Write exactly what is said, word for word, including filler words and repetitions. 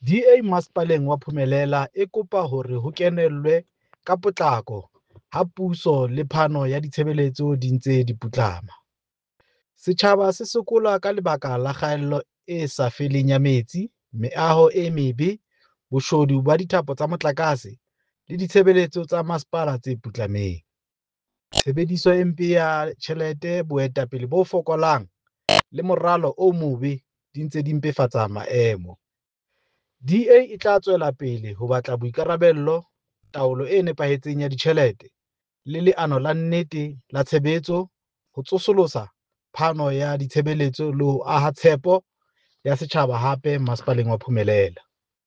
D A Masepaleng wa Phumelela e kopa hore ho kenellwe ka potlako ha puso le phano ya ditshebeletso di ntse di putlama. Setjhaba se sokola ka lebaka la kgaello e sa feleng ya metsi, meaho e mebe, boshodu ba dithapo tsa motlakase le ditshebeletso tsa masepala tse putlameng. Tshebediso e mpe ya tjhelete, boetapele bo fokolang le moralo o mobe di ntse di mpefatsa maemo. D A e tla tswela pele ho batla boikarabello, taolo e nepahetseng ya ditjhelete le leano la nnete la tshebetso ho tsosolosa phano ya ditshebeletso le ho aha tshepo ya setjhaba hape Masepaleng wa Phumelela.